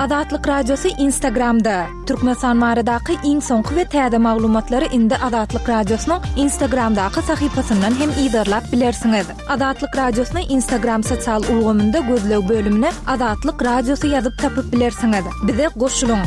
Azatlyk Radiosy Instagramda! Türkmenistan baradaky iň soňky we täze maglumatlary indi Azatlyk Radiosynyň Instagramdaky sahypasyndan hem yzarlap bilersiňiz. Azatlyk Radiosyny Instagram sosial ulgamynda gözleg bölümine Azatlyk Radiosy ýazyp tapyp bilersiňiz. Bize goşulyň!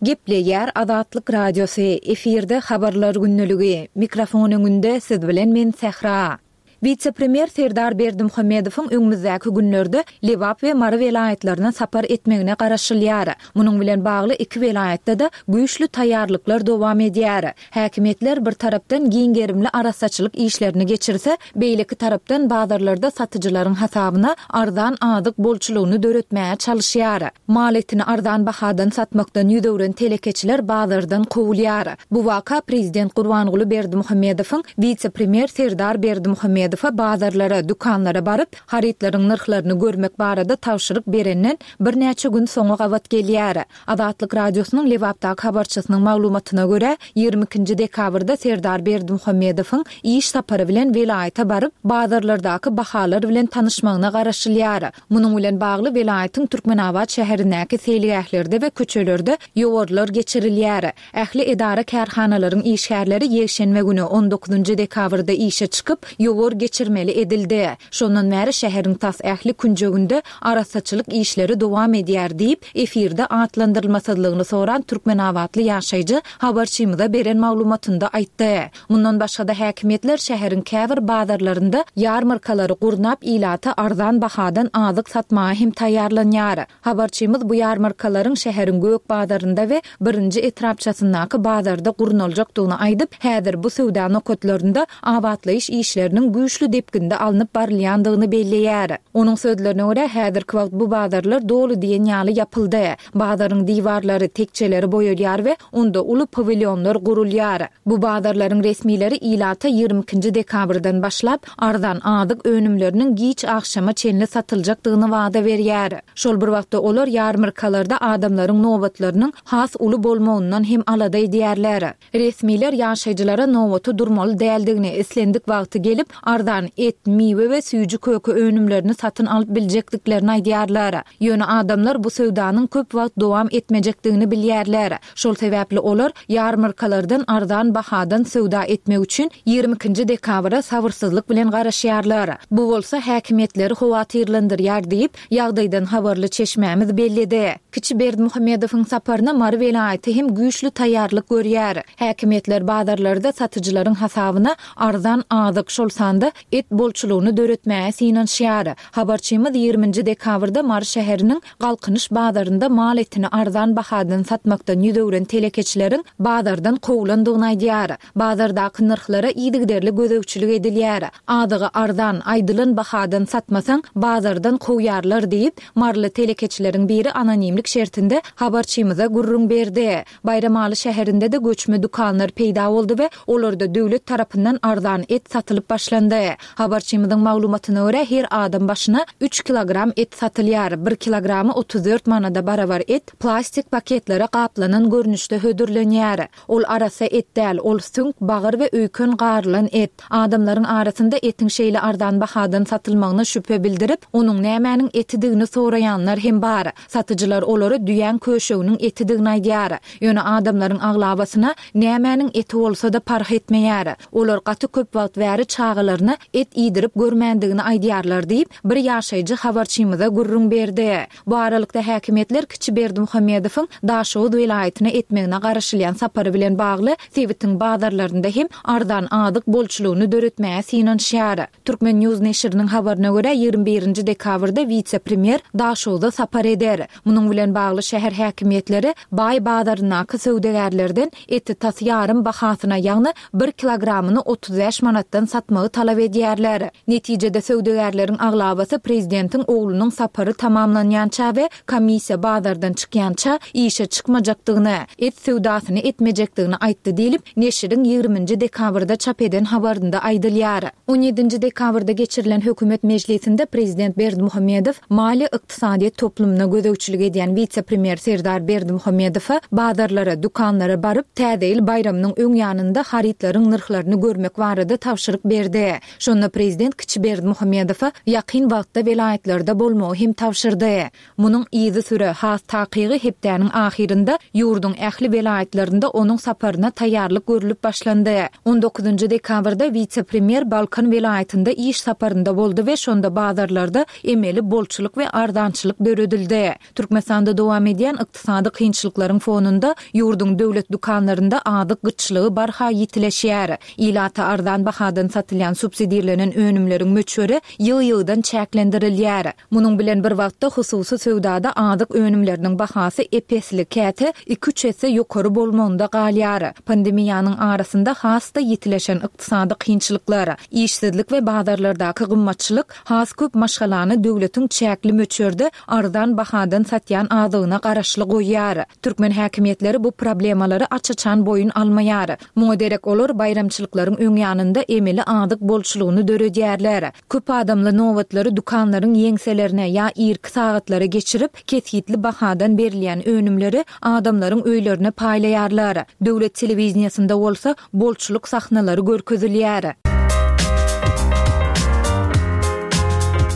Gepleýär Azatlyk Radiosy, efirde Habarlar gündeligi, mikrofon öňünde siz bilen men Sähra. Wise-premýer Serdar Berdimuhamedowyň öňümizdäki günlerde Lebap we Mary welaýatlaryna sapar etmegine garaşylýar. Munuň bilen bagly iki welaýatda-da güýçli taýýarlyklar dowam edýär. Häkimiýetler bir tarapdan giň gerimli arassaçylyk işlerini geçirse, beýleki tarapdan bazarlarda satyjylaryň hasabyna arzan azyk bolçulygyny döretmäge çalyşýar. Mal etini arzan bahadan satmakdan ýüz öwren telekeçiler bazardan kowulýar. Bu waka prezident Gurbanguly Berdimuhamedowyň wise-premýer Serdar Berdimuhamedowa bazarlara, dükanlara baryp, harytlaryň nyrhlaryny görmek barada tabşyryk berenden birnäçe gün soňa gabat gelýär. Azatlyk Radiosynyň Lebapdaky habarçysynyň maglumatyna görä, 22-nji dekabrda Serdar Berdimuhamedowyň iş sapary bilen welaýata baryp, bazarlardaky bahalar bilen tanyşmagyna garaşylýar. Munuň bilen bagly welaýatyň Türkmenabat şäherindäki seýilgählerde we köçelerde ýowarlar geçirilýär. Ähli edara-kärhanalaryň işgärleri ýekşenbe güni, on dokuzynjy dekabrda işe çykyp, ýowar geçirmeli edildi. Şondan bäri şäheriň tas ähli künjeginde arassaçylyk işleri dowam edýär diýip, efirde atlandyrylmasyzlygyny soran türkmenabatly ýaşaýjy habarçymyza beren maglumatynda aýtdy. Mundan başga-da häkimiýetler şäheriň käbir bazarlarynda ýarmarkalary gurnap, ilata arzan bahadan azyk satmaga hem taýýarlanýar. Habarçymyz bu ýarmarkalaryň şäheriň Gök bazarynda we Birinji etrapçasyndaky bazarda gurnaljakdygyny aýdyp, häzir bu söwda nokatlarynda abatlaýyş işleriniň güýçli depginde alnyp barylýandygyny belleýär. Onuň sözlerine görä, häzirki wagt bu bazarlar doly diýen ýaly ýapyldy. Bazaryň diwarlary, tekjeleri boýalýar we onda uly pawilýonlar gurulýar. Bu bazarlaryň resmileri ilata 22-nji dekabrdan başlap, arzan azyk önümleriniň giç agşama çenli satyljakdygyny wada berýär. Şol bir wagtda olar ýarmarkalarda adamlaryň nobatlarynyň has uly bolmagyndan hem alada edýärler. Resmiler ýaşaýjylara nobata durmaly däldigini, islendik wagty gelip, arzan et, miwe we süýji-köke önümlerini satyn alyp biljekdiklerini aýdýarlar. Ýöne adamlar bu söwdanyň köp wagt dowam etmejekdigini bilýärler. Şol sebäpli olar ýarmarkalardan arzan bahadan söwda etmek üçin 22-nji dekabra sabyrsyzlyk bilen garaşýarlar. Bu bolsa häkimiýetleri howatyrlandyrýar diýip, ýagdaýdan habarly çeşmämiz belledi. Kiçi Berdimuhamedowyň saparyna Mary welaýaty hem güýçli taýýarlyk görýär. Häkimiýetler bazarlarda satyjylaryň hasabyna arzan azyk, şol sanda et bolçulygyny döretmäge synanyşýar. Habarçymyz 20-nji dekabrda Mary şäheriniň Galkynyş bazarynda mal etini arzan bahadan satmakdan ýüz öwren telekeçileriň bazardan kowlandygyny aýdýar. Bazardaky nyrhlara yzygiderli gözegçilik edilýär. Azygy arzan, aýdylan bahadan satmasaň, bazardan kowýarlar diýip, maryly telekeçileriň biri anonimlik şertinde habarçymyza gürrüň berdi. Baýramaly şäherinde-de göçme dükanlar peýda boldy we olarda döwlet tarapyndan arzan et satylyp başlandy. Habarçymyzyň maglumatyna görä, her adam başyna üç kilogram et satylýar. Bir kilogramy 34 manada barabar et plastik paketlere gaplanan görnüşde hödürlenýär. Ol arassa et däl, ol süňk, bagyr we öýken garylan et. Adamlaryň arasynda etiň şeýle arzan bahadan satylmagyna şübhe bildirip, onuň nämäniň etidigini soraýanlar hem bar. Satyjylar olara düýäň köşeginiň etidigini aýdýar. Ýöne adamlaryň aglabasyna nämäniň eti bolsa-da parh etmeýär. Olar gaty köp wagt bäri çagalaryna et iýdirip görmändigini aýdýarlar diýip, bir ýaşaýjy habarçymyza gürrüň berdi. Bu aralykda häkimiýetler kiçi Berdimuhamedowyň Daşoguz welaýatyna etmegine garaşylýan sapary bilen bagly sebitiň bazarlarynda hem arzan azyk bolçulygyny döretmäge synanyşýar. Turkmen. News neşiriniň habaryna görä, 21-nji dekabrda wise-premýer Daşogza sapar eder. Munuň bilen bagly şäher häkimiýetleri Baý bazaryndaky söwdagärlerden eti tas ýarym bahasyna, ýagny bir kilogramyny 35 manatdan satmagy talap edýärler. Netijede söwdagärleriň aglabasy prezidentiň oglunyň sapary tamamlanýança we komissiýa bazardan çykýança işe çykmajakdygyny, et söwdasyny etmejekdigini aýtdy diýlip, neşiriň 20-nji dekabrda çap eden habarynda aýdylýar. On ýedinji dekabrda geçirilen hökümet mejlisinde prezident Berdimuhamedow maliýe-ykdysadyýet toplumyna gözegçilik edýän wise-premýer Serdar Berdimuhamedowa bazarlara, dükanlara baryp, Täze ýyl baýramynyň öň ýanynda harytlaryň nyrhlaryny görmek barada tabşyryk berdi. Şonda prezident kiçi Berdimuhamedowa ýakyn wagtda welaýatlarda bolmagy hem tabşyrdy. Munuň yzysüre, has takygy hepdäniň ahyrynda ýurduň ähli welaýatlarynda onuň saparyna taýýarlyk görlüp başlandy. On dokuzynjy dekabrda wise-premýer Balkan welaýatynda iş saparynda boldy we şonda bazarlarda emeli bolçulyk we arzançylyk döredildi. Türkmenistanda dowam edýän ykdysady kynçylyklaryň fonunda ýurduň döwlet dükanlarynda azyk gytçylygy barha ýitileşýär. Ilata arzan bahadan satylýan subsidirlenen önümleriň möçberi ýygy-ýygydan çäklendirilýär. Munuň bilen bir wagtda, hususy söwdada azyk önümleriniň bahasy ep-esli, käte iki-üç esse ýokary bolmagynda galýar. Pandemiýanyň arasynda has-da ýitileşen ykdysady kynçylyklar, işsizlik we bazarlardaky gymmatçylyk has köp maşgalany döwletiň çäkli möçberde arzan bahadan satýan azygyna garaşly goýýar. Türkmen häkimiýetleri bu problemalary aç-açan boýun almaýar. Muňa derek olar baýramçylyklaryň öň ýanynda emeli azyk bolçulygyny döredýärler. Köp adamly nobatlary dükanlaryň ýeňselerine ýa irki sagatlara geçirip, kesgitli bahadan berilýän önümleri adamlaryň öýlerine paýlaýarlar. Döwlet telewideniýesinde bolsa bolçulyk sahnalary görkezilýär.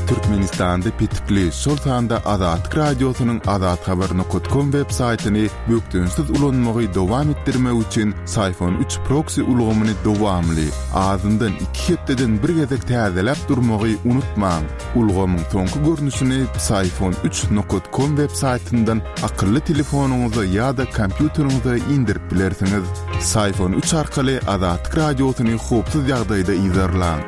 Türkmenistanda petikli, şol sanda Azatlyk Radiosynyň azathabar nokat kom web saýtyny bökdençsiz ulanmagy dowam etdirmek üçin Syfon üç proksi ulgamyny dowamly, azyndan iki hepdeden bir gezek täzeläp durmagy unutmaň. Ulgamyň soňky görnüşini Psiphon üç nokat kom web saýtyndan akylly telefonyňyza ýa-da kompýuteriňize indirip bilersiňiz. Psiphon üç arkaly Azatlyk Radiosyny howpsuz ýagdaýda yzarlaň.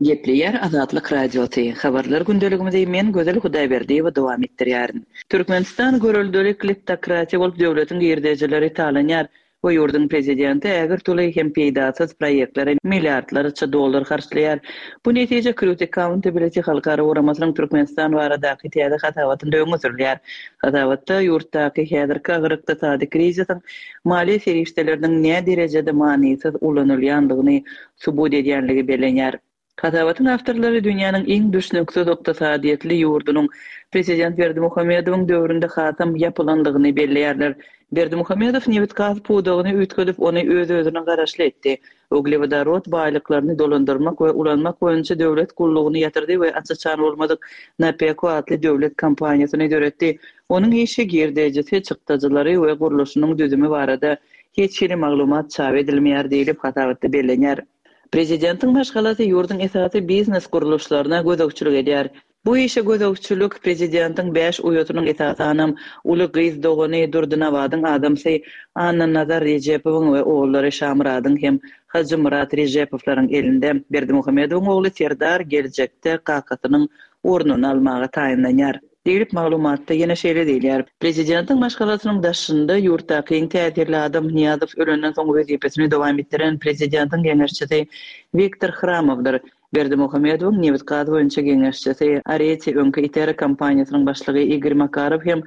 Gepleýär Azatlyk Radiosy, Habarlar gündeligimizi men Gözel Hudaýberdiýewa dowam etdirýärin. Türkmenistan göreldeli kleptokratiýa bolup döwletiň girdejileri talanýar we ýurduň prezidenti ägirt uly hem peýdasyz proýektlere milliardlarça dollar harçlaýar. Bu netije Crut Accountability halkara guramasynyň Türkmenistan baradaky täze hasabatynda öňe sürülýär. Hasabatda ýurtdaky häzirki agyr ykdysady krizisiň maliýe serişdeleriniň näderejede manysyz ulanylýandygyny subut edýänligi bellenýär. Hasabatyň awtorlary dünýäniň iň düşnüksiz ykdysadyýetli ýurdunyň prezident Berdimuhamedowyň döwründe hasam ýapylandygyny belleýärler. Berdimuhamedow nebit-gaz pudagyny üýtgedip, ony öz-özüne garaşly etdi. Uglewodorod baýlyklaryny dolandyrmak we ulanmak boýunça döwlet gullugyny ýatyrdy we aç-açan bolmadyk Napeko atly döwlet kompaniýasyny döretdi. Onuň işi, girdejisi, çykdajylary we gurluşynyň düzümi barada hiç hili maglumat çap edilmeýär diýlip, hasabatda bellenýär. Prezidentiň maşgalasy ýurduň esasy biznes gurluşlaryna gözegçilik edýär. Bu işe gözegçilik prezidentiň bäş uýasynyň esasanam uly gyz dogany Durdynabadyň adamsy Annanazar Rejepowyň we ogullary Şamyradyň hem Hajymyrat Rejepowlaryň elinde. Berdimuhamedowyň ogly Serdar geljekde kakasynyň ornuny almaga taýynlanýar. Diýlip, maglumatda ýene şeýle diýilýär, Prezidentiň maşgalasynyň daşynda ýurtdaky iň täsirli adam Nyýazow ölenden soň wezipesini dowam etdiren prezidentiň geňeşçisi Wiktor Hramowdyr. Berdimuhamedowyň nebit-gaz boýunça geňeşçisi, Areti öňki Itera kompaniýasynyň başlygy Igor Makarow hem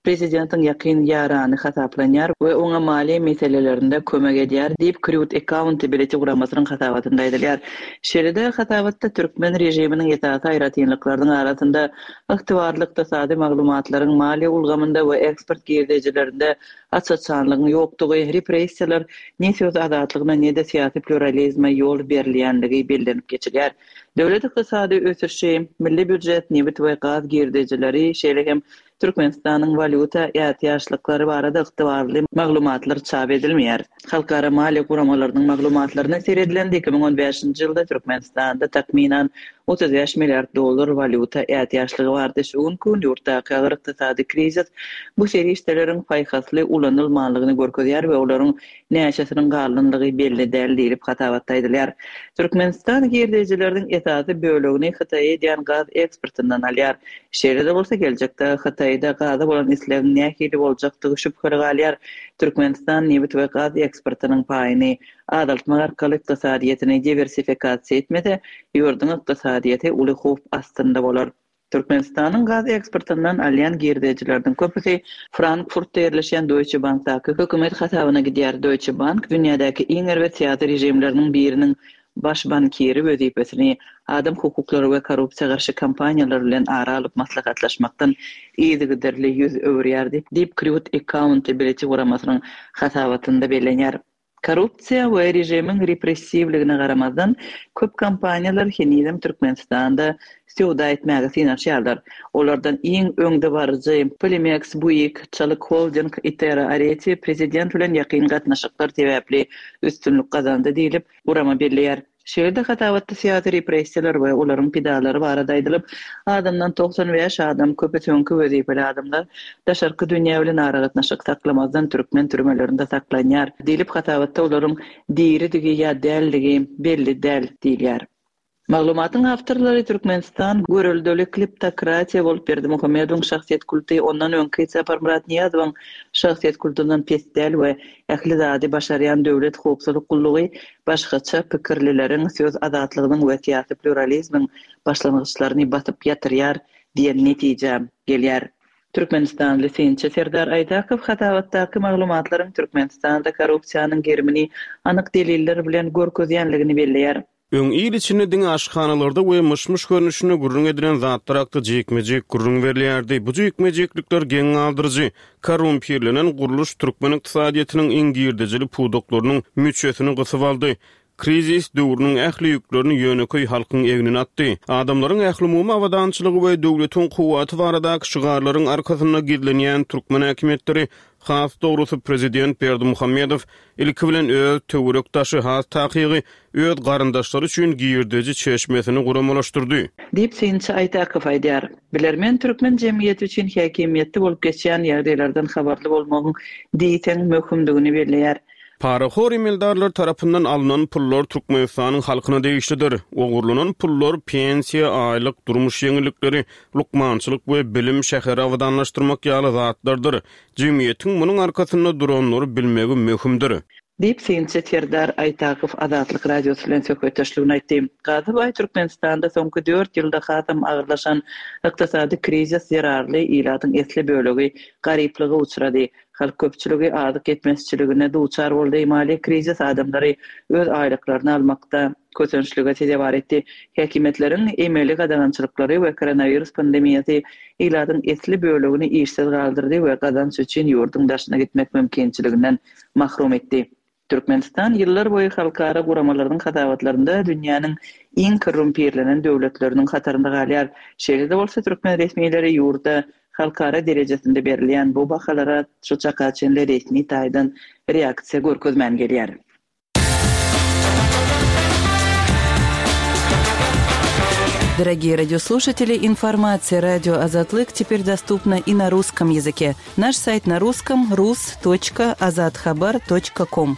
prezidentiň ýakyn ýarany hasaplanýar we oňa maliýe meselelerinde kömek edýär diýip, Crut Accountability guramasynyň hasabatynda aýdylýar. Şeýle-de, hasabatda türkmen režiminiň esasy aýratynlyklarynyň arasynda Ygtybarly ykdysady maglumatlaryň maliýe ulgamynda we eksport girdejilerinde aç-açanlygyň ýokdugy, repressiýalar ne söz azatlygyna, ne-de syýasy pluralizme ýol berilýänligi bellenip geçilýär. Döwlet ykdysady ösüşi, milli býujet, nebit we gaz girdejileri, şeýle hem Türkmenistanyň walýuta ätiýaçlyklary barada ygtybarly maglumatlar çap edilmeýär. Halkara maliýe guramalarynyň maglumatlaryna seredilende, 2015-nji ýylda Türkmenistanda takmynan 35 milliard dollar walýuta ätiýaçlygy bardy. Şu günki gün ýurtdaky agyr ykdysady krizis bu serişdeleriň paýhasly ulanylmanlygyny görkezýär we olaryň näçesiniň galanlygy belli däl diýlip, hasabatda aýdylýar. Türkmenistan girdejileriniň esasy bölegini Hytaýa edýän gaz eksportyndan alýar. Şeýle-de bolsa, geljekde Hytaýda gaza bolan islegiň nähili boljakdygy şübheli galýar. Türkmenistan nebit we gaz eksportynyň paýyny azaltmak arkaly ykdysadyýetini diwersifikasiýa etmese, ýurduň ykdysadyýeti uly howp astynda bolar. Türkmenistanyň gaz eksportyndan alýan girdejileriniň köpüsi Frankfurtda ýerleşýän Deutsche Bankdaky hökümet hasabyna gidýär. Deutsche Bank dünýädäki iň erbet syýasy režimleriniň biriniň baş bankiri wezipesini adam hukuklary we korrupsiýa garşy kampaniýalar bilen ara alyp maslahatlaşmakdan yzygiderli ýüz öwürýärdi, diýip, Crut Accountability guramasynyň hasabatynda bellenýär. Korrupsiýa we režimiň repressiwligine garamazdan, köp kompaniýalar henizem Türkmenistanda söwda etmäge synanyşýarlar. Olardan iň öňdebaryjy Polimeks, Buig, Çalyk Holding, Itera Areti prezident bilen ýakyn gatnaşyklar sebäpli üstünlik gazandy diýlip, gurama belleýär. Şeýle-de hasabatda syýasy repressiýalar we olaryň pidalary barada aýdylyp, azyndan 95 adam, köpüsi öňki wezipeli adamlar, daşarky dünýä bilen aragatnaşyk saklamazdan türkmen türmelerinde saklanýar diýlip, hasabatda olaryň diridigi ýa däldigi belli däl diýilýär. Maglumatyň awtorlary Türkmenistan göreldeli kleptokratiýa bolup Berdimuhamedowyň şahsyýet kulty ondan öňki Saparmyrat Nyýazowyň şahsyýet kultundan pes däl we ähli zady başarýan döwlet howpsuzlyk gullugy başgaça pikirlileriň söz azatlygynyň we syýasy pluralizmiň başlangyçlaryny basyp ýatyrýar diýen netijä gelýär. Türkmenistanly synçy Serdar Aýdakow hasabatdaky maglumatlaryň Türkmenistanda korrupsiýanyň gerimini anyk deliller bilen görkezýänligini belleýär. Öň il içinde diňe aşhanalarda we myş-myş görnüşinde gürrüň edilen zatlar hakda jikme-jik gürrüň berilýärdi. Bu jikme-jiklikler geň galdyryjy. Korrumpirlenen gurluş türkmen ykdysadyýetiniň iň girdejili pudaklarynyň müçesini gysyp aldy. Krizis döwrüniň ähli ýüklerini ýönekeý halkyň egnine atdy. Adamlaryň ählumumy abadançylygy we döwletiň kuwwaty baradaky şygarlaryň arkasynda gizlenýän türkmen häkimiýetleri, has dogrusy prezident Berdimuhamedow ilki bilen öz töwerek-daşy, has takygy, öz garyndaşlary üçin girdeji çeşmesini guramalaşdyrdy. Diýip, synçy Aýtakow aýdýar. Bilermen türkmen jemgyýeti üçin häkimiýetde bolup geçýän ýagdaýlardan habarly bolmagyň diýseň möhümdigini belleýär. Parahor emeldarlar tarapyndan alnan pullar Türkmenistanyň halkyna degişlidir. Ogurlanan pullar pensiýa, aýlyk, durmuş ýeňillikleri, lukmançylyk we bilim, şäheri abadanlaşdyrmak ýaly zatlardyr. Jemgyýetiň munuň arkasynda duranlary bilmegi möhümdir. Diýip, synçy Serdar Aýtakow Azatlyk Radiosy bilen söhbetdeşliginde aýtdy. Gazybaý Türkmenistanda soňky dört ýylda hasam agyrlaşan ykdysady krizis zerarly ilatyň esli bölegi garyplyga uçrady. Halk köpçüligi azyk ýetmezçiligine duçar boldy, maliýe krizis adamlary öz aýlyklaryny almakda kösençlige sezewar etdi. Häkimiýetleriň emeli gadagançylyklary we koronawirus pandemiýasy ilatyň esli bölegini işsiz galdyrdy we gazanç üçin ýurduň daşyna gitmek mümkinçiliginden mahrum etdi. Türkmenistan ýyllar boýy halkara guramalarynyň hasabatlarynda dünýäniň iň korrumpirlenen döwletleriniň hatarynda galýar. Şeýle-de bolsa, türkmen resmileri ýurda halkara derejesinde berilýän bu bahalara şu çaka çenli resmi taýdan reaksiýa görkezmän gelýär. Дорогие радиослушатели, информация радио Азатлык теперь доступна и на русском языке. Наш сайт на русском rus.azathabar.com.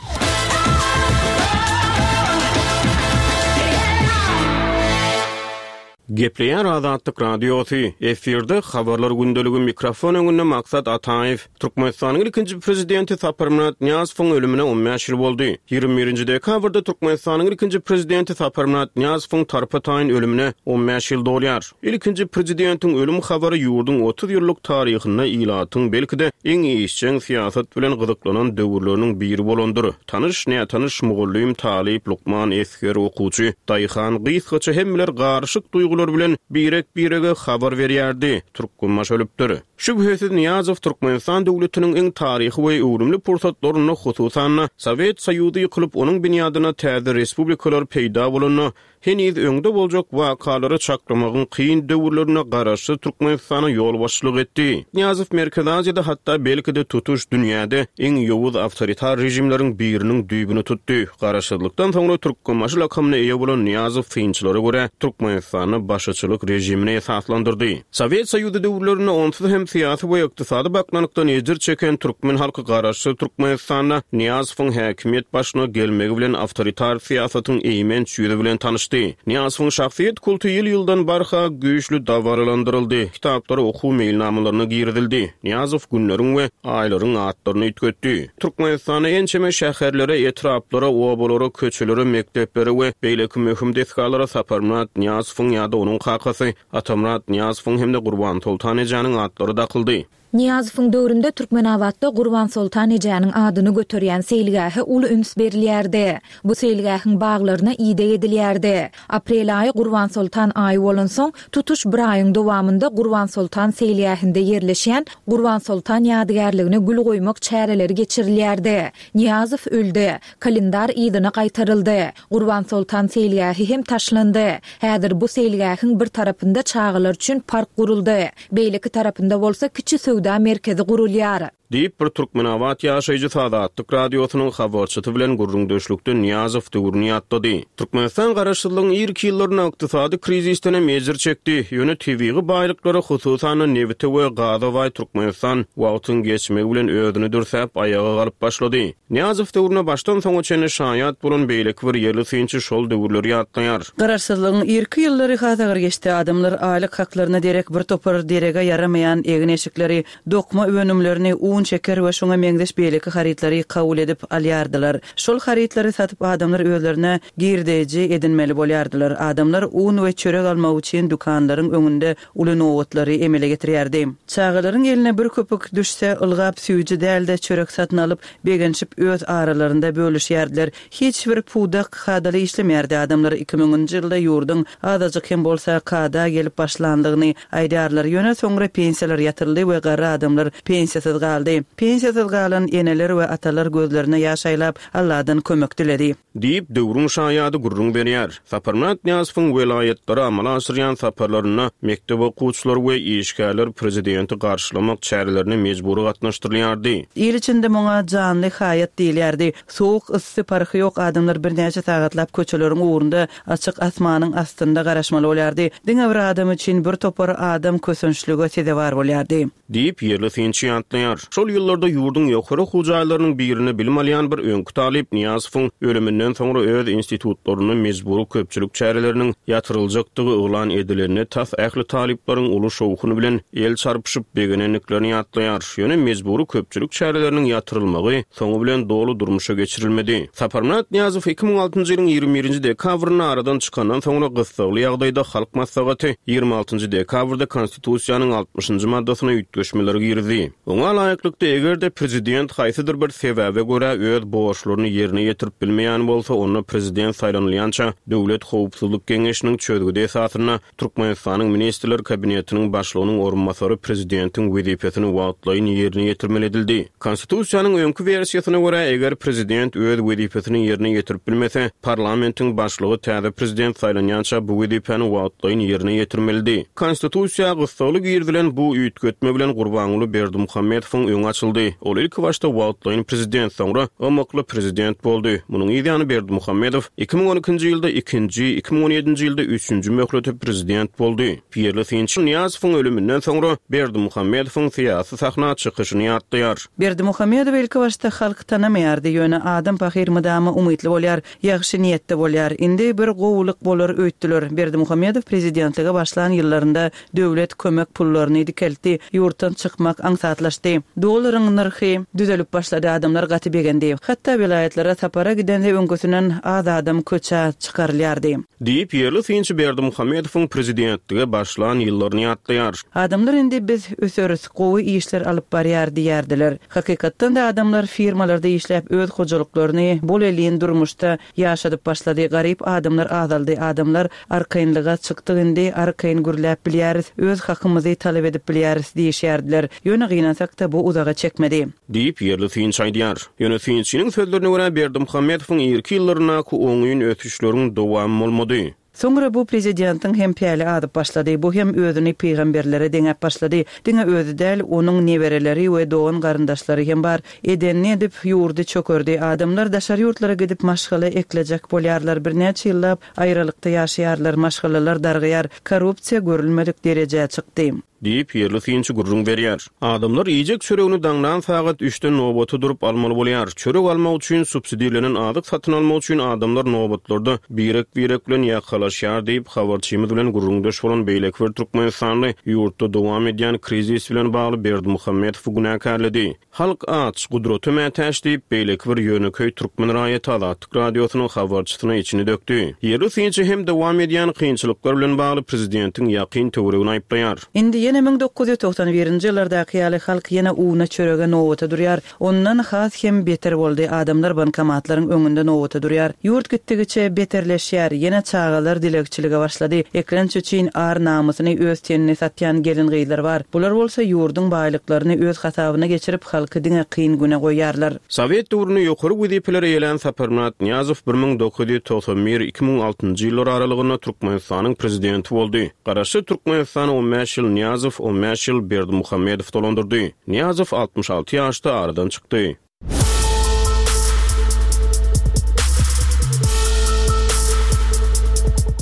Gepleýär Azatlyk Radiosy, efirde Habarlar gündeligi mikrofon öňünde Maksat Ataýew. Türkmenistanyň ilkinji prezidenti Saparmyrat Nyýazowyň ölümine 15 ýyl boldy. 21-nji dekabrda Türkmenistanyň ilkinji prezidenti Saparmyrat Nyýazowyň tarpa-taýyn ölümine 15 ýyl dolýar. Ilkinji prezidentiň ölüm habary ýurduň 30 ýyllyk taryhynda ilatyň belki-de iň işjeň syýasat bilen gyzyklanan döwürleriniň biri bolandyr. Tanyş, nätanyş, mugallym, talyp, lukman, esger, okuwçy, daýhan, gysgaça hemmeler garyşyk duýgular bilen birek-birege habar berýärdi, Türkmenbaşy ölüpdir. Şübhesiz, Nyýazow Türkmenistan döwletiniň iň taryhy we öwrümli pursatlarynda, hususan-da, Sowet Soýuzy ýykylyp, onuň binýadynda täze respublikalar peýda bolanda, Heniz öňde boljak wakalary çaklamagyň kyn döwürlerinde Garaşsyz Türkmenistana ýolbaşçylyk etdi. Nyýazow Merkezi Aziýada hatda belki-de tutuş dünýäde iň ýowuz awtoritar režimleriň biriniň düýbüni tutdy. Garaşsyzlykdan soňra Türkmenbaşy lakamyna eýe bolan Nyýazow synçylara görä Türkmenistanda başyçylyk režimini esaslandyrdy. Sowet Soýuzy döwürlerinde onsuz hem syýasy we ykdysady baknalykdan ejir çeken türkmen halky garaşsyz Türkmenistanda Nyýazowyň häkimiýet başyna gelmegi bilen awtoritar syýasatyň eýmenç ýüzi bilen tanyşdy. Nyýazowyň şahsyýet kulty ýyl-ýyldan barha güýçli dabaralandyryldy, kitaplary okuw meýilnamalaryna girizildi. Nyýazow günleriň we aýlaryň atlaryny üýtgetdi. Türkmenistanda ençeme şäherlere, etraplara, obalara, köçelere, mekdeplere we beýleki möhüm desgalara Saparmyrat Nyýazowyň ýa-da onuň kakasy Atamyrat Nyýazowyň hem-de Gurbansoltan ejäniň atlary dakyldy. Nyýazowyň döwründe Türkmenabatda Gurbansoltan ejäniň adyny göterýän seýilgähe uly üns berilýärdi. Bu seýilgähiň baglaryna ideg edilýärdi. Aprel aýy Gurbansoltan aýy bolansoň, tutuş bir aýyň dowamynda Gurbansoltan seýilgähinde ýerleşýän Gurbansoltan ýadygärligine gül goýmak çäreleri geçirilýärdi. Nyýazow öldi. Kalendar yzyna gaýtaryldy. Gurbansoltan seýilgähi hem taşlandy. Häzir bu seýilgähiň bir tarapynda çagalar üçin park guruldy. Beýleki tarapynda bolsa kiçi söwda merkezi gurulýar. Diýip, bir türkmenabat ýaşaýjysy Azatlyk Radiosynyň habarçysy bilen gürrüňdeşlikde Nyýazow döwrüni ýatlady. Türkmenistan garaşsyzlygyň irki ýyllarynda ykdysady krizisden hem ejir çekdi. Ýöne tebigy baýlyklara, hususan-da, nebite we gaza baý Türkmenistan wagtyň geçmegi bilen özüni dürsäp, aýaga galyp başlady. Nyýazow döwrüne başdan soňa çenli şaýat bolan beýleki bir ýerli synçy şol döwürleri ýatlaýar. Garaşsyzlygyň irki ýyllary has agyr geçdi. Adamlar aýlyk haklaryna derek bir topar derege ýaramaýan egin-eşikleri, dokma önümlerini, un, şeker we şuňa meňzeş beýleki harytlary kabul edip alýardylar. Şol harytlary satyp adamlar özlerine girdeji edinmeli bolýardylar. Adamlar un we çörek almak üçin dükanlaryň öňünde uly nobatlary emele getirýärdi. Çagalaryň eline bir köpük düşse, ylgap süýji däl-de çörek satyn alyp, begenişip öz aralarynda bölüşýärdiler. Hiç bir pudak kadaly işlemeýärdi. Adamlar iki müňünji ýylda ýurduň azajyk hem bolsa kada gelip başlandygyny aýdýarlar. Ýöne soňra pensiýalar ýatyryldy we garry adamlar pensiýasyz galdy. Pensiýasyz galan eneler we atalar gözlerine ýaş aýlap, Alladan kömek diledi. Diýip, döwrüň şaýady gürrüň berýär. Saparmyrat Nyýazowyň welaýatlara amala aşyrýan saparlarynda mekdep okuwçylary we işgärler prezidenti garşylamak çärelerine mejbury gatnaşdyrylýardy. Il içinde muňa janly haýat diýilýärdi. Sowuk, yssy parhy ýok adamlar birnäçe sagatlap köçeleriň ugrunda açyk asmanyň astynda garaşmaly bolýardy. Diňe bir adam üçin bir topar adam kösençlige sezewar bolýardy. Diýip, ýerli synçy ýatlaýar. Şol ýyllarda ýurduň ýokary okuw jaýlarynyň birinde bilim alýan bir öňki talyp Nyýazowyň ölüminden soňra öz institutlarynda mejbury köpçülik çäreleriniň ýatyryljakdygy yglan edilende tas ähli talyplaryň uly şowhun bilen el çarpyşyp begenendiklerini ýatlaýar. Ýöne mejbury köpçülik çäreleriniň ýatyrylmagy soňy bilen doly durmuşa geçirilmedi. Saparmyrat Nyýazow 2006-njy ýylyň 21-nji dekabrynda aradan çykandan soňra gyssagly ýagdaýda Halk Maslahaty 26-njy dekabrda Konstitusiýanyň altmyşynjy maddasyna üýtgeşmeler girizdi. Oňa laýyklykda, eger-de prezident haýsydyr bir sebäbe görä öz borçlaryny ýerine ýetirip bilmeýän bolsa, onda prezident saýlanylýança Döwlet howpsuzlyk geňeşiniň çözgüdi esasynda Türkmenistanyň Ministrler Kabinetiniň Başlygynyň orunbasary prezidentiň wezipesini wagtlaýyn ýerine ýetirmeli edildi. Konstitusiýanyň öňki wersiýasyna görä, eger prezident öz wezipesini ýerine ýetirip bilmese, parlamentiň başlygy täze prezident saýlanýança bu wezipäni wagtlaýyn ýerine ýetirmelidi. Konstitusiýa gyssagly girizilen bu üýtgetme bilen Gurbanguly Berdimuhamedowyň öňi açyldy. Ol ilkibaşda wagtlaýyn prezident, soňra ymykly prezident boldy. Munuň yzýany Berdimuhamedow 2012-nji ýylda ikinji, 2017-nji ýylda üçünji möhlete prezident boldy. Ýerli synçy Nyýazowyň ölüminden soňra Berdimuhamedowyň syýasy sahna çykyşyny ýatlaýar. Berdimuhamedowy ilkibaşda halk tanamaýardy, ýöne adam pahyr mydama umytly bolýar, ýagşy niýetde bolýar. Indi bir gowulyk bolar öýtdüler. Berdimuhamedow prezidentlige başlan ýyllarynda döwlet kömek pullaryny dikeltdi, ýurtdan çykmak aňsatlaşdy. Dollaryň nyrhy düzelip başlady, adamlar gaty begendi. Hatda welaýatlara sapara gidende öňküsinden az adam köçä çykarylýardy. Diýip, ýerli synçy Berdimuhamedowyň prezidentlige başlan ýyllaryny ýatlaýar. Adamlar indi biz öseris, gowy işler alyp barýar diýýärdiler. Hakykatdan-da adamlar firmalarda işläp öz hojalyklaryny bol-elin durmuşda ýaşadyp başlady, garyp adamlar azaldy, adamlar arkaýynlyga çykdyk indi arkaýyn gürläp bilýäris, öz hakymyzy talap edip bilýäris diýişýärdiler. Ýöne gynansak-da bu uzaga çekmedi. Diýip, ýerli synçy aýdýar. Ýöne synçynyň sözlerine görä, Berdimuhamedowyň irki ýyllaryndaky oňyn ösüşleriň dowamy bolmady. Soňra bu prezidentiň hem päli azyp başlady. Bu hem özüni pygamberlere deňäp başlady. Diňe özi däl, onuň nebereleri we dogan-garyndaşlary hem bar. Edenini edip, ýurdy çökerdi. Adamlar daşary ýurtlara gidip maşgala eklejek bolýarlar. Birnäçe ýyllap aýralykda ýaşaýarlar. Maşgalalar dargaýar. Korrupsiýa görülmedik derejä çykdy. Diýip, ýerli synçy gürrüň berýär. Adamlar iýjek çöregini daňdan sagat üçden nobata durup almaly bolýar. Çörek almak üçin, subsidirlenen azyk satyn almak üçin adamlar nobatlarda birek-birek bilen ýakalaşýar diýip, habarçymyz bilen gürrüňdeş bolan beýleki bir türkmenistanly ýurtda dowam edýän krizis bilen bagly Berdimuhamedowy günäkärledi. Halk aç, gudrata mätäç diýip, beýleki bir ýönekeý türkmen raýaty Azatlyk Radiosynyň habarçysyna içini dökdi. Ýerli synçy hem dowam edýän kynçylyklar bilen bagly prezidentiň ýakyn töweregini aýyplaýar. Indi ýene. Ýene 1991-nji ýyllardaky ýaly halk ýene una, çörege nobata durýar. Ondan has hem beter boldy, adamlar bankomatlaryň öňünde nobata durýar. Ýurt gitdigiçe beterleşýär, ýene çagalar dilegçilige başlady. Eklenç üçin ar-namysyny, öz tenini satýan gelin-gyzlar bar. Bular bolsa ýurduň baýlyklaryny öz hasabyna geçirip, halky diňe kyn güne goýýarlar. Sowet döwründe ýokary wezipeleri eýelän Saparmyrat Nyýazow 1991, 2006-njy ýyllar aralygynda Türkmenistanyň Prezidenti boldy. Garaşsyz Türkmenistany on bäş ýyl Nyýazow, on bäş ýyl Berdimuhamedow dolandyrdy. Nyýazow 66 ýaşda aradan çykdy.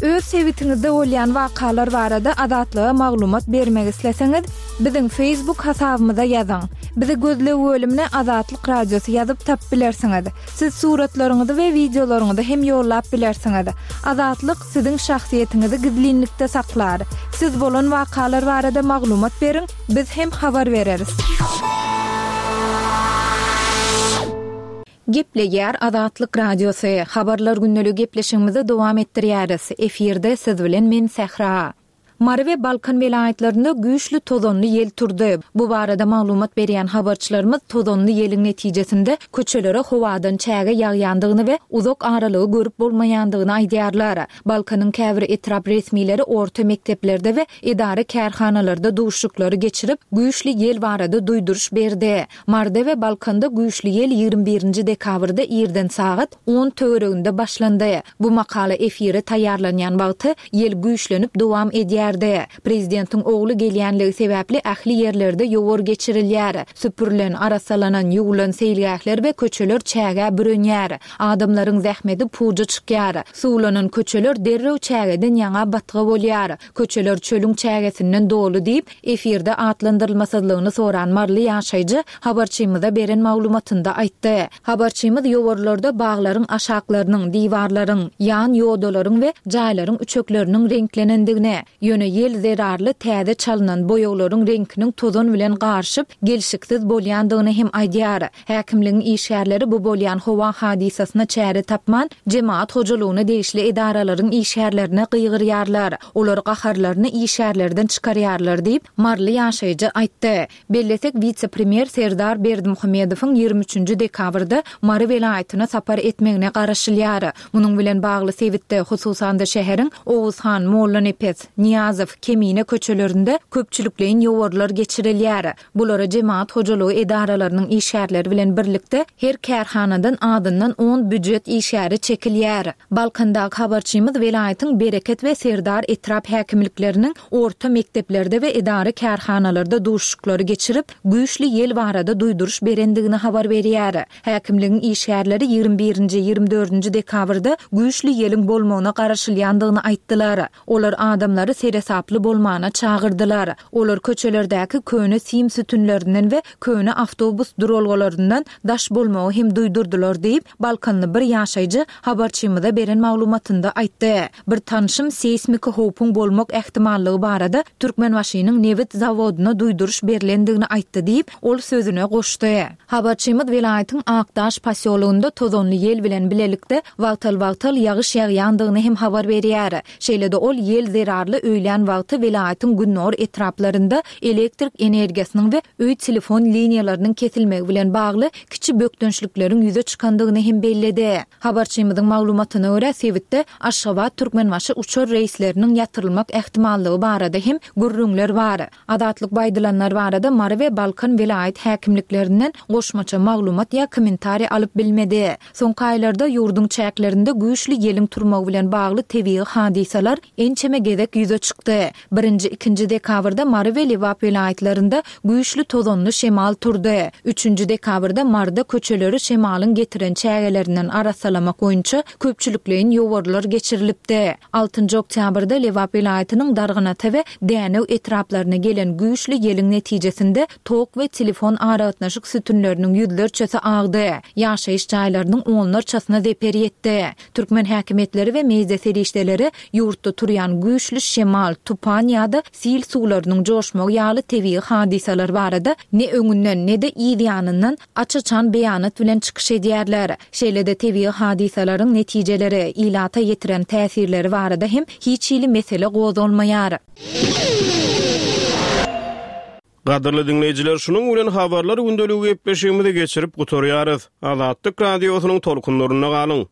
Öz sebitiňizde bolýan wakalar barada Azatlyga maglumat bermek isleseňiz, biziň Facebook hasabymyza ýazyň. Bizi gözleg bölümine Azatlyk Radiosy ýazyp tapyp bilersiňiz. Siz suratlaryňyzy we wideolaryňyzy hem ýollap bilersiňiz. Azatlyk siziň şahsyýetiňizi gizlinlikde saklar. Siz bolan wakalar barada maglumat beriň, biz hem habar bereris. Gepleýär Azatlyk Radiosy, Habarlar gündeligi gepleşigimizi dowam etdirýäris. Efirde siz bilen men Sähra. Mary we Balkan welaýatlarynda güýçli tozanly ýel turdy. Bu barada maglumat berýän habarçylarymyz tozanly ýeliň netijesinde köçelere howadan çäge ýagýandygyny we uzak aralygy görüp bolmaýandygyny aýdýarlar. Balkanyň käbir etrap resmileri orta mekdeplerde we edara-kärhanalarda duşuşyklary geçirip, güýçli ýel barada duýduryş berdi. Maryda we Balkanda güýçli ýel 21 nji dekabrda irden sagat on töwereginde başlandy. Bu makala efire taýýarlanýan wagty ýel güýçlenip dowam edýärdi. Prezidentiň ogly gelýänligi sebäpli ähli ýerlerde ýowar geçirilýär. Süpürilen, arassalanan, ýuwulan seýilgähler we köçeler çägä bürenýär. Adamlaryň zähmeti puja çykýar. Suwlanan köçeler derrew çägeden ýaňa batga bolýar. Köçeler çölüň çägesinden doly diýip, efirde atlandyrylmasyzlygyny soran maryly ýaşaýjy habarçymyza beren maglumatynda aýtdy. Habarçymyz ýowarlarda baglaryň aşaklarynyň, diwarlaryň, ýan ýodalaryň we jaýlaryň üçekleriniň reňklenendigini, ýöne ýel zerarly täze çalynan boýaglaryň reňkiniň tozan bilen garyşyp, gelşiksiz bolýandygyny hem aýdýar. Häkimligiň işgärleri bu bolýan howa hadysasyna çäre tapman, jemagat hojalygyna degişli edaralaryň işgärlerine gygyrýarlar. Olar gaharlaryny işgärlerden çykarýarlar diýip, maryly ýaşaýjy aýtdy. Bellesek, wise-premýer Serdar Berdimuhamedowyň 23 nji dekabrda Mary welaýatyna sapar etmegine garaşylýar. Munuň bilen bagly sebitde, hususan-da şäheriň Oguzhan, Mollanepes, Nyýazow, Kemine köçelerinde köpçülikleýin ýowarlar geçirilýär. Bulara jemagat hojalygy edaralarynyň işgärleri bilen birlikde her kärhanadan azyndan on býujet işgäri çekilýär. Balkandaky habarçymyz welaýatyň Bereket we Serdar etrap häkimlikleriniň orta mekdeplerde we edara-kärhanalarda duşuşyklary geçirip, güýçli ýel barada duýduryş berendigini habar berýär. Häkimligiň işgärleri 21-nji, 24-nji dekabrda güýçli ýeliň bolmagyna garaşylýandygyny aýtdylar. Olar adamlary seresaply bolmana çagyrdylar. Olar köçelerdäki köne sim sütünlerinden we köne awtobus duralgalaryndan daş bolmagy hem duýdurdylar diýip, balkanly bir ýaşaýjy habarçymyza beren maglumatynda aýtdy. Bir tanşym seýsmiki howpuň bolmak ähtimallygy barada Türkmenbaşynyň nebit zawodyna duýduryş berlendigini aýtdy diýip, ol sözüne goşdy. Habarçymyz welaýatyň Akdaş posýologynda tozanly ýel bilen bilelikde wagtal-wagtal ýagyş ýagýandygyny hem habar berýär. Şeýle-de ol ýel zerarly öýlän wagty welaýatyň gündogar etraplarynda elektrik energiýasynyň we öý telefon liniýalarynyň kesilmegi bilen bagly kiçi bökdençlikleriň ýüze çykandygyny hem belledi. Habarçymyzyň maglumatyna görä, sebitde Aşgabat-Türkmenbaşy uçar reýsleriniň ýatyrylmak ähtimallygy barada hem gürrüňler bar. Azatlyk bu aýdylanlar barada Mary we Balkan welaýat häkimliklerinden goşmaça maglumat ýa kommentariý alyp bilmedi. Soňky aýlarda ýurduň çäklerinde güýçli ýeliň turmagy bilen bagly tebigy hadysalar ençeme gezek ýüze çykdy. Birinji, ikinji dekabrda Mary we Lebap welaýatlarynda güýçli tozanly şemal turdy. Üçünji dekabrda Maryda köçeleri şemalyň getiren çägelerinden arassalamak boýunça köpçülikleýin ýowarlar geçirilipdi. Altynjy oktýabrda Lebap welaýatynyň Darganata we Dänew etraplaryna gelen güýçli ýeliň netijesinde tok we telefon aragatnaşyk sütünleriniň ýüzlerçesi agdy, ýaşaýyş jaýlarynyň onlarçasyna zeper ýetdi. Türkmen häkimiýetleri we media serişdeleri ýurtda turýan güýçli şemal, tupan ýa-da sil suwlarynyň joşmagy ýaly tebigy hadysalar barada ne öňünden, ne-de yz ýanyndan aç-açan beýanat bilen çykyş edýärler. Şeýle-de tebigy hadysalaryň netijeleri, ilata ýetiren täsirleri barada hem hiç hili mesele gozgalmaýar. Gadyrly diňleýjiler, şunuň bilen Habarlar gündeligi gepleşigimizi geçirip gutarýarys. Azatlyk Radiosynyň tolkunlarynda galyň!